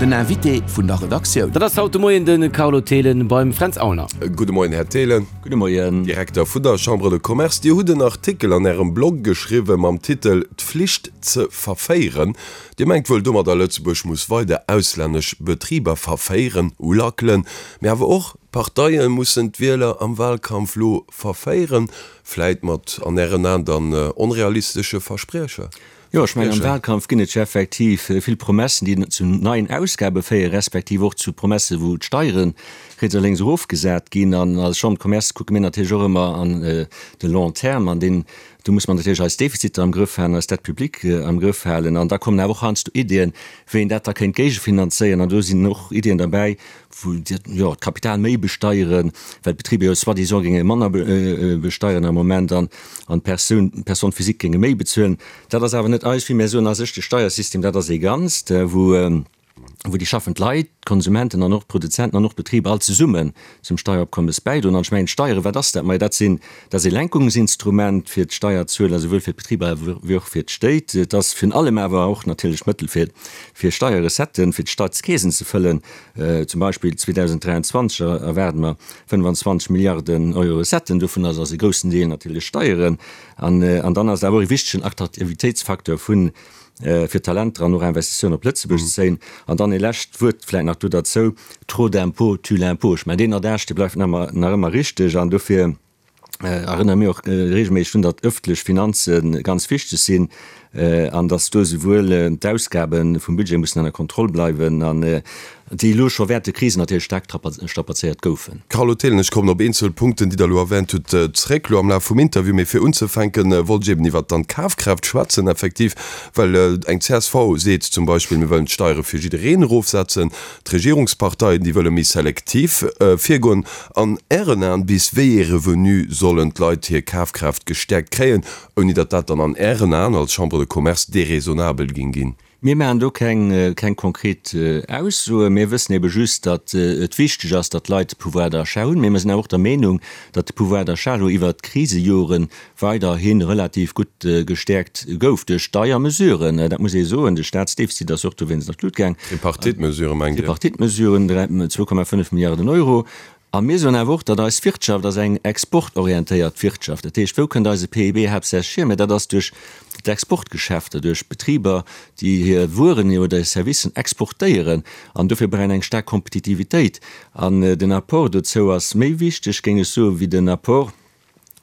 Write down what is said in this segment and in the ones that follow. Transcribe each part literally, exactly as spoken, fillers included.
Den Invité vun der Redaktioun. Dat ass haut de Moien de Carlo Thelen beim Fränz Aulner. Gudde Moien, Här Thelen. Gudde Moien. Direkter vun der Chambre de Commerce. Dir hutt en Artikel an Ärem Blog geschriwwen mam Titel D'Flicht ze verféieren. Dir mengt wuel domadder, Lëtzebuerg muss weider auslännesch Betriber verféieren, ulackelen, mee awer och d'Parteie mussen d'Wieler am Wahlkampf lo verféieren, vläit mat an Ären Aen dann onrealistesche Versprieche. Jo, ech mengen, am Wahlkampf ginn et jo effektiv vill Promessen, déi zu neien Ausgabe féieren, respektiv och zu Promessen, wou d'Steiere riets a lénks erofgesat ginn. An als Chambre de Commerce kucke mir natierlech och ëmmer an de long terme an deen, do muss mer natierlech eis Defiziter am Grëff halen, eis Dette publique am Grëff halen. An da kommen awer och heiansdo Iddien, wéi een dat da kéint géigefinanzéieren. An do sinn och Iddien derbäi, wou jo d'Kapital méi besteieren, well d'Betriber jo soi-disant géinge manner besteieren am Moment an an d'Persoun, d'Personne physique géinge méi bezuelen. Dat ass awer net eis, wéi mir soen a sech, de Steiersystem, dat ass ee Ganzt, wou wou déi schaffend Leit, d'Konsumenten an och d'Produzenten an och d'Betriber all zesummen zum Steieropkommes bäidroen. An ech mengen, d'Steieren, wat ass dat? Majo, dat sinn, dat ass ee Lenkungsinstrument fir d'Steierzueler, souwuel fir d'Betriber wéi och fir d'Stéit. Et ass virun allem awer och natierlech Mëttel fir, fir Steierrecetten, fir d'Staatskeesen ze fëllen. Zum Beispill zweedausenddräianzwanzeg erwaarde mer fënnefanzwanzeg Milliarden Euro Recetten, dovun ass ass e groussen Deel natierlech Steieren. An, an dann ass et awer och e wichtegen Attraktivitéitsfacteur vun, fir Talenter an och Investitiounen op Lëtzebuerg ze zéien. An dann ee lescht Wuert vläicht nach do derzou, Trop d'impôts tue l'impôt. Ech mengen, deen Adage, dee bleift nach ëmmer, nach ëmmer richteg. An dofir erënnere mir och regelméisseg drun, datt ëffentlech Finanze ganz wichteg sinn an datt do esouwuel d'Ausgabe vum Budget mussen ënner Kontroll bleiwen an déi elo scho während de Krisen natierlech staark strapazéiert goufen. Carlo Thelen, Ech kommen op eenzel Punkten, déi Der elo erwänt hutt, zréck elo am Laf vum Interview. Mee fir unzefänken, wollt ech eben iwwert dann d'Kafkraaft schwätzen, effektiv, well eng C S V seet zum Beispill, mir wëllen d'Steiere fir jiddereen erofsetzen. D'Regierungsparteien, déi wëlle méi selektiv virgoen. An Ären Aen, bis wéi ee Revenu sollen d'Leit hir Kafkraaft gestäerkt kréien, ouni datt dat dann an Ären Aen als Chambre de Commerce déraisonnabel géing ginn? Mir maachen do keng, keng konkret Aussoen. Mir wëssen ebe just, datt et wichteg ass, datt d'Leit Pouvoir d'achat hunn. Mee mir sinn awer och der Meenung, datt de Pouvoir d'achat elo iwwert d'Krisejoren weiderhi relativ gutt gestäerkt gouf duerch deier Mesuren. Dat muss ee soen. De Staatsdefizit ass och dowéinst an d'Lut gaang. Tripartite-Mesuren, mengt Dir? Tripartite-Mesuren, zwou Komma fënnef Milliarden Euro. A mir soen awer och, datt eis Wirtschaft ass eng exportorientéiert Wirtschaft. Dat heescht, wou kënnt eise P I B haaptsächlech hier? Mä dat ass duerch d'Exportgeschäfter, duerch Betriber, déi hir Wueren oder hir Servicen exportéieren. An dofir brauch een eng staark Kompetitivitéit. An den Apport dozou ass méi wichteg, géing ech soen, wéi den Apport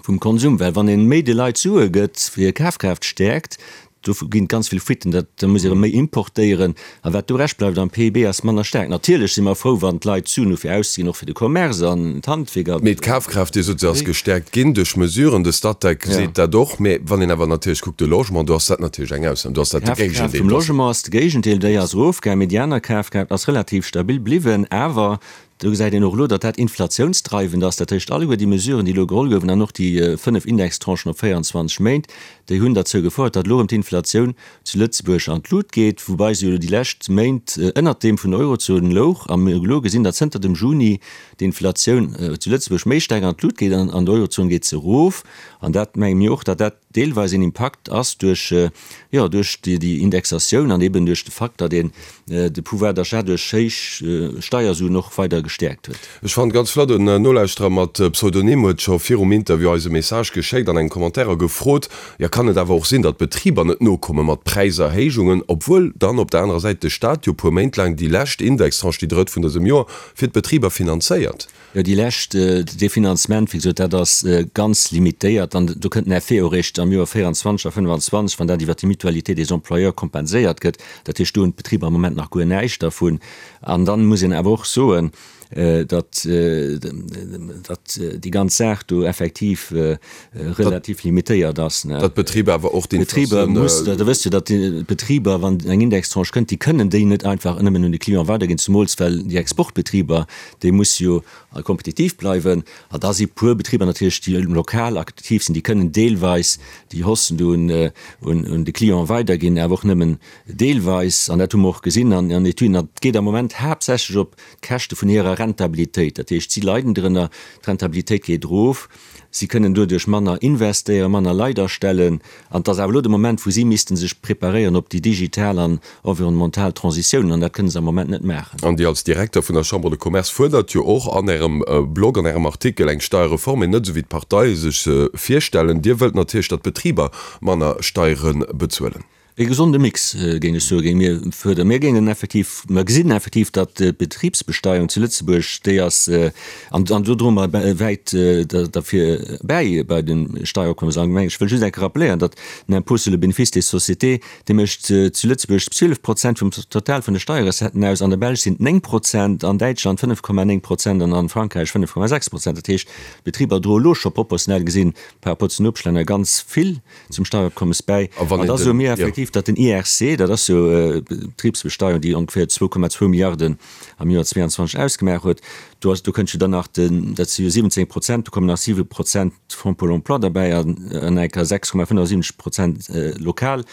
vum Konsum. Well wann ee méi de Leit Sue gëtt, fir hir Kafkraaft stäerkt, do ginn et ganz vill Fuiten, dat, da muss ee erëm méi importéieren. A wat do rescht bleift am P I B ass manner staark. Natierlech si mer frou, wann d'Leit Suen hu fir auszeginn, och fir de Commerce an d'Handwierk an Mee d'Kafkraaft, Dir sot, se ass gestäerkt ginn duerch Mesuren, de Statec seet dat och. Mee wann een awer natierlech kuckt, de Logement, do ass dat natierlech eng Ausnam, do ass dat de D'Kafkraaft Géigendeel. vum Logement ass de Géigendeel, déi ass erofgaangen, mee déi aner Kafkraaft ass relativ stabil bliwwen. Awer do gesäit een och elo, datt dat inflatiounsdreiwend ass. Dat heescht, alleguer déi Mesuren, déi elo geholl goufen, an och déi fënnef Indextranchen op véierundzwanzeg Méint, déi hunn derzou gefouert, datt elo erëm d'Inflatioun zu Lëtzebuerg an d'Lut geet, woubai se jo déi lescht Méint ënnert deem vun der Eurozon louch. A mir hu elo gesinn, datt zënter dem Juni d'Inflatioun zu Lëtzebuerg méi staark an d'Lut geet an an der Eurozon geet se erof. An dat menge mir och, datt dat deelweis een Impakt ass duerch, jo, duerch déi Indexatioun an eben duerch de Fakt, datt een de Pouvoir d'achat duerch héich Steiersuen och weider gestäerkt huet. Ech fannen ganz flott, en Nolauschterer mat Pseudonym huet scho virum Interview eis e Message geschéckt an engem Commentaire a gefrot, jo kann et awer och sinn, datt d'Betriber net nokomme mat Präiserhéijungen, obwuel dann op der anerer Säit de Staat jo puer Méint laang déi lescht Indextranche, déi drëtt vun dësem Joer, fir d'Betriber finanzéiert. Jo, déi lescht, dee Finanzement, wéi gesot, dat ass ganz limitéiert an do kënnt den Effet och eréischt am Joer véierundzwanzeg a fënnefanzwanzeg, wann dat iwwert déi Mutualité des employeurs kompenséiert gëtt. Dat heescht, do hunn d'Betriber am Moment nach guer näischt dervun. An dann muss een awer och soen, datt, datt déi ganz Saach do effektiv relativ limitéiert ass. Datt d'Betriber awer och d'Inflatioun. D'Betriber, Der wësst jo, datt d'Betriber, wann eng Indextranche kënnt, déi kënnen déi net einfach nëmmen un de Client weiderginn, zemools well déi Exportbetriber, déi musse jo kompetitiv bleiwen. A da si puer Betriber natierlech, déi lokal aktiv sinn, déi kënnen deelweis déi Haussen do un de Client weiderginn, awer och nëmmen deelweis. An dat hu mer och gesinn an Etüden. Dat geet am Moment haaptsächlech op d'Käschte vun hirer Rentabilitéit. Dat heescht, si leiden drënner, d'Rentabilitéit geet erof, si kënnen doduerch manner investéieren, manner Leit astellen. An et ass awer elo de Moment, wou si misste sech preparéieren op déi digital an environnemental Transitioun, an dat kënne se am Moment net maachen. An Dir als Direkter vun der Chambre de Commerce fuerdert jo och an Ärem Blog, an Ärem Artikel eng Steierreform, mee net esou wéi d'Parteie sech se virstellen. Dir wëllt natierlech, datt d'Betriber manner Steiere bezuelen. E gesonde Mix, géing ech soen, géinge mir fuerderen. Mir géingen effektiv, mer gesinn effektiv, datt d'Betribsbesteuerung zu Lëtzebuerg, déi ass, an do droe mer wäit derfir bäi bei de Steieropkommes allgemeng. Ech wëll just eng Kéier rappeléieren, datt den Impôt sur le bénéfice des sociétés, dee mécht zu Lëtzebuerg zwielef Prozent vum Total vun de Steierrecetten aus, an der Belsch sinn et néng Prozent, an Däitschland fënnef Komma néng Prozent an a Frankräich fënnef Komma sechs Prozent. Dat heescht, d'Betriber droe elo scho proportionell gesinn par rapport zu den Nopeschlänner ganz vill zum Steierabkommes bäi. An da soe mir effektiv, datt den I R C, dat ass jo d'Betribsbesteuerung, déi ongeféier zwou Komma zwou Milliarden am Joer zweeanzwanzeg ausgemaach huet, do ass, do kënnt jo dann nach den, dat si jo siwwenzéng Prozent, do kommen nach siwe Prozent Fonds pour l'emploi derbäi an eng Kéier sechs Komma fënnefensiwwenzeg Prozent lokal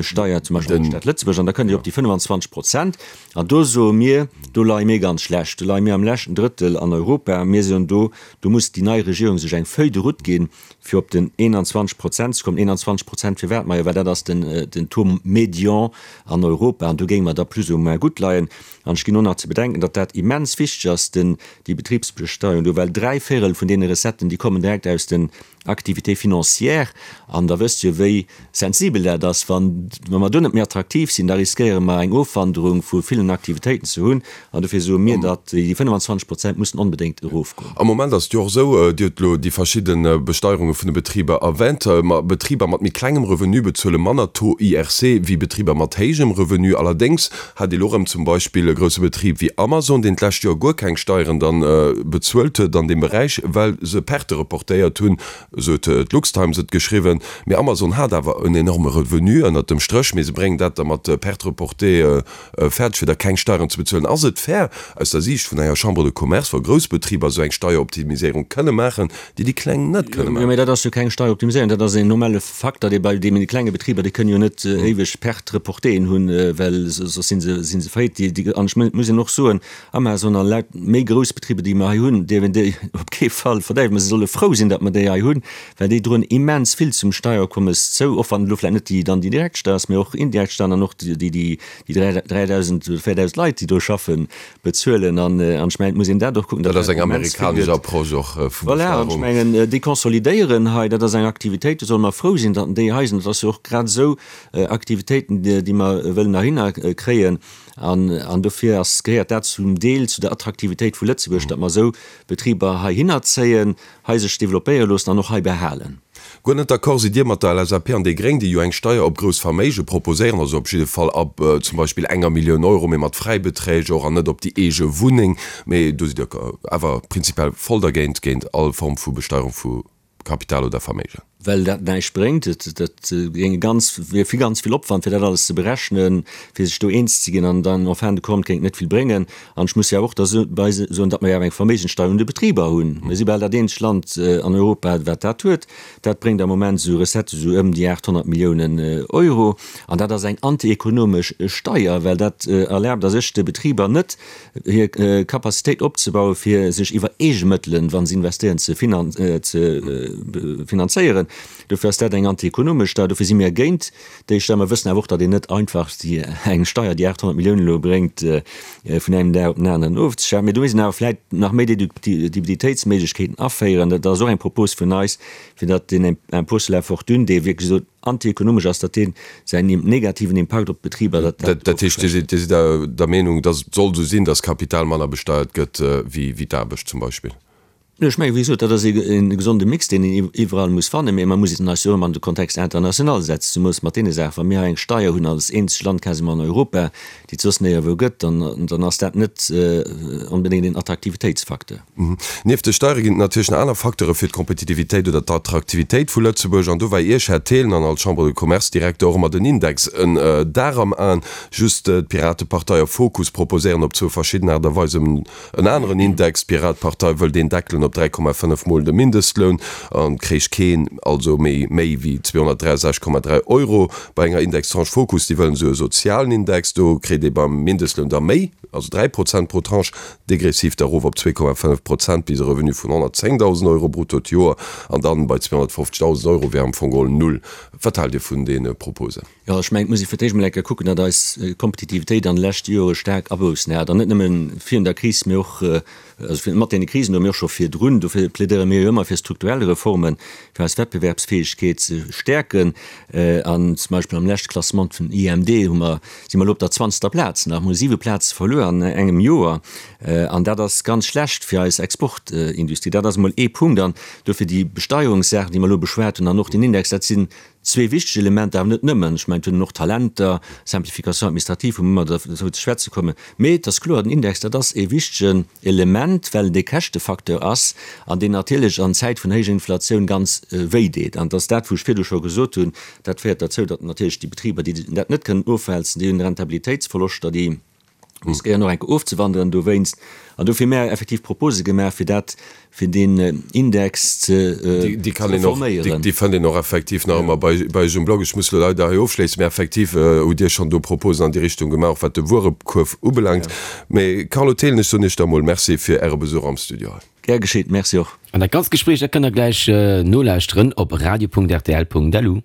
Steuer, zum Beispill an der Stad Lëtzebuerg, an da kënnt Dir op déi fënnefanzwanzeg Prozent. An do soe mir, do leie mir ganz schlecht, do leie mir am leschten Drëttel an Europa. Mir soen do, do muss déi nei Regierung sech eng Feuille de route ginn, fir op den eenanzwanzeg Prozent ze kommen. eenanzwanzeg Prozent firwat? Majo, well dat ass den, den Taux médian an Europa an do géinge mer da plus ou moins gutt leien. An ech ginn och nach ze bedenken, datt dat immens wichteg ass, den, déi Betribsbesteuerung do, well dräi Véirel vun deene Recetten, déi kommen direkt aus den Activités financières. An da wësst Dir, wéi sensibel dat ass. Wann, wa mer do net méi attraktiv sinn, da riskéiere mer eng Ofwanderung vu villen Aktivitéiten ze hunn. An dofir soe mir, datt déi fënnefanzwanzeg Prozent mussen onbedéngt erofgoen. Am Moment ass et jo och esou, Dir hutt elo déi verschidde Besteierunge vun de Betriber erwänt, ma Betriber mat méi klengem Revenu bezuele manner Taux I R C wéi Betriber mat héijem Revenu. Allerdéngs hat ee elo erëm zum Beispill e grousse Betrib wéi Amazon, deen d'lescht Joer guer keng Steieren dann bezuelt huet an deem Beräich, well se Perte reportéiert hunn, esou huet d'LuxTimes et geschriwwen. Mee Amazon hat awer en enorme Revenu ënnert dem Stréch, mee se bréngen dat da mat Perte reportée fäerdeg, fir da keng Steieren ze bezuelen. Ass et fair aus der Siicht vun enger Chambre de Commerce, wa grouss Betriber esou eng Steieroptimiséierung kënne maachen, déi déi kleng net kënne maachen? Jo, mee dat ass jo keng Steieroptimiséierung, dat ass en normale Facteur, dee bei deene klenge Betriber, déi kënnen jo net éiweg Perte reportéeën hunn, well soss si se, si se faillite. Déi, an ech muss een och soen, Amazon a laut méi grouss Betriber, déi mer hei hunn, dierf een déi op kee Fall verdäiwen. Mä se solle frou sinn, datt mer déi hei hunn, well déi droen immens vill zum Steierkommes zou, och wann elo vläicht net déi dann déi direkt Steier ass, mee och indirekt Steiern an och déi, déi, déi dräidausend oder véierdausend Leit, déi do schaffen, bezuelen. An, an ech mengen, et muss een dat och kucken, datt dat ass eng amerikanesch Approche och vu Besteuerung. Voilà, an ech mengen, déi konsolidéieren hei, dat ass eng Aktivitéit, do solle mer frou sinn, datt déi hei sinn. Dat ass jo och grad esou Aktivitéiten, déi mer wëllen heihinner kréien. An, an dofir ass, gehéiert dat zum Deel zu der Attraktivitéit vu Lëtzebuerg, datt mer esou Betriber heihinner zéien, hei sech developpéiere loossen an och hei behalen. Guer net d'accord sidd Dir mat der L S A P an déi Gréng, déi jo eng Steier op grouss Verméige proposéieren, also op jidde Fall ab zum Beispill enger Millioun Euro, mee mat Fräibeträg och an net op déi eege Wunneng. Mee do sidd Dir awer prinzipiell voll dergéint, géint all Form vu Besteierung vu Kapital oder Verméigen. Well dat näischt bréngt. Dat géing ganz, wier vill, ganz vill Opwand, fir dat alles ze berechnen, fir sech do eens ze ginn, an dann en fin de compte géing et net vill bréngen. An ech muss jo awer och derbäi soen, datt mer jo awer eng Verméigenssteuer un de Betriber hunn. Mir si bal dat eenzegt Land an Europa, wat dat huet. Dat bréngt am Moment esou Recettë sou ëm déi aathonnert Milliounen Euro. An dat ass eng antiekonomesch Steuer, well dat erlaabt a sech de Betriber net, hir Capacitéit opzebauen, fir sech iwwer eege Mëttelen, wa se investéieren, ze finanzéieren. Dofir ass dat eng antiekonomesch Steuer. Dofir si mir géint déi Steuer. Mer wëssen awer och, datt een net einfach eng Steuer, déi aathonnert Milliounen elo bréngt, vun engem Dag op den aneren ofzeschafen. Mee do misst een awer vläicht nach méi Deduktibilitéitsméiglechkeeten aféieren. Dat ass och eng Propos vun eis, fir datt deen Impôt sur la fortune, dee wierklech esou antiekonomesch ass, datt dee säin negativen Impakt op d'Betriber, datt dat. Dat heescht, Dir sidd, Dir sidd der Meenung, datt et soll esou sinn, datt Kapital manner besteiert gëtt wéi d'Aarbecht zum Beispill? Ech mengen, wéi gesot, dat ass e gesonde Mix, deen een iwwerall muss fannen. Mee mer muss eis jo och ëmmer an de Kontext international setzen, zemoos mat deene Saachen. Wa mir hei eng Steier hunn als eenzegt Land quasiment an Europa, déi et soss néierwou gëtt, dann, dann ass dat net onbedéngt een Attraktivitéitsfacteur. Nieft de Steiere ginn et natierlech nach aner Facteure fir d'Kompetitivitéit oder d'Attraktivitéit vu Lëtzebuerg. An do war Iech, Här Thelen, an als Chambre de Commerce-Direkter och ëmmer den Index en Dar am Aen. Just d'Piratepartei a Fokus proposéieren op zwou verschidden Aart a Weisen en aneren Index. D'Piratepartei wëll deen deckelen op dräi Komma fënnef mol de Mindestloun an kréich keen also méi méi wéi zweehonnertdräiasechzeg Komma dräi Euro. Bei enger Indextranche Fokus, déi wëllen esou e sozialen Index, do kritt ee beim Mindestloun da méi, also dräi Prozent pro Tranche, degressiv da erof op zwee Komma fënnef Prozent bis e Revenu vun honnertzéngdausend Euro brutto d'Joer an dann bei zweehonnertfofzegdausend Euro wär am Fong geholl null. Wat haalt Dir vun deene Proposen? Jo, ech mengen, et muss ee fir d'éischt emol eng Kéier kucken, datt eis Kompetitivitéit an de leschte Jore staark Aboussen hat, an net nëmme virun der Kris, mee och, also mat deene Krisen do, mee och scho virdrun. Dofir plädéiere mir jo ëmmer fir strukturell Reformen, fir eis Wettbewerbsfäegkeet ze stäerken. An zum Beispill am leschte Klassement vun I M D hu mer, si mer elo op der zwanzegster Plaz nach, hu siwe Plaze verluer an engem Joer. An dat ass ganz schlecht fir eis Exportindustrie. Dat ass emol ee Punkt. An dofir déi Besteierungssaachen, déi mer elo beschwat hunn, an och den Index, dat sinn zwee wichteg Elementer, awer net nëmmen. Ech mengen, et hunn och Talenter, Simplification administrative, wou mer ëmmer dozou ze schwätze kommen. Mee et ass kloer, den Index, dat ass ee wichtegen Element, well et ee Käschtefacteur ass an deen natierlech an Zäit vun héijer Inflatioun ganz wéi deet. An et ass dat, wou ech virdu scho gesot hunn, dat féiert derzou, datt natierlech déi Betriber, déi dat net kënnen ofwälzen, déi hunn Rentabilitéitsverloschter, déi riskéieren och enke ofzewanderen dowéinst. An dofir hu mär effektiv Propose gemaach, fir dat, fir deen Index ze reforméieren. Déi fënnt een och effektiv nach ëmmer bei iech um Blog. Ech muss elo leider hei ofschléissen, mä effektiv hutt Dir schonn do Proposen an déi Richtung gemaach, och wat de Wuerekuerf ubelaangt. Mä Carlo Thelen, ech soen Iech da mol Merci fir Äre Besuch am Studio hei. Gär geschéet, Merci och. An dat ganzt Gespréich, dat kënnt der gläich nolauschteren op radio Punkt rtl Punkt lu.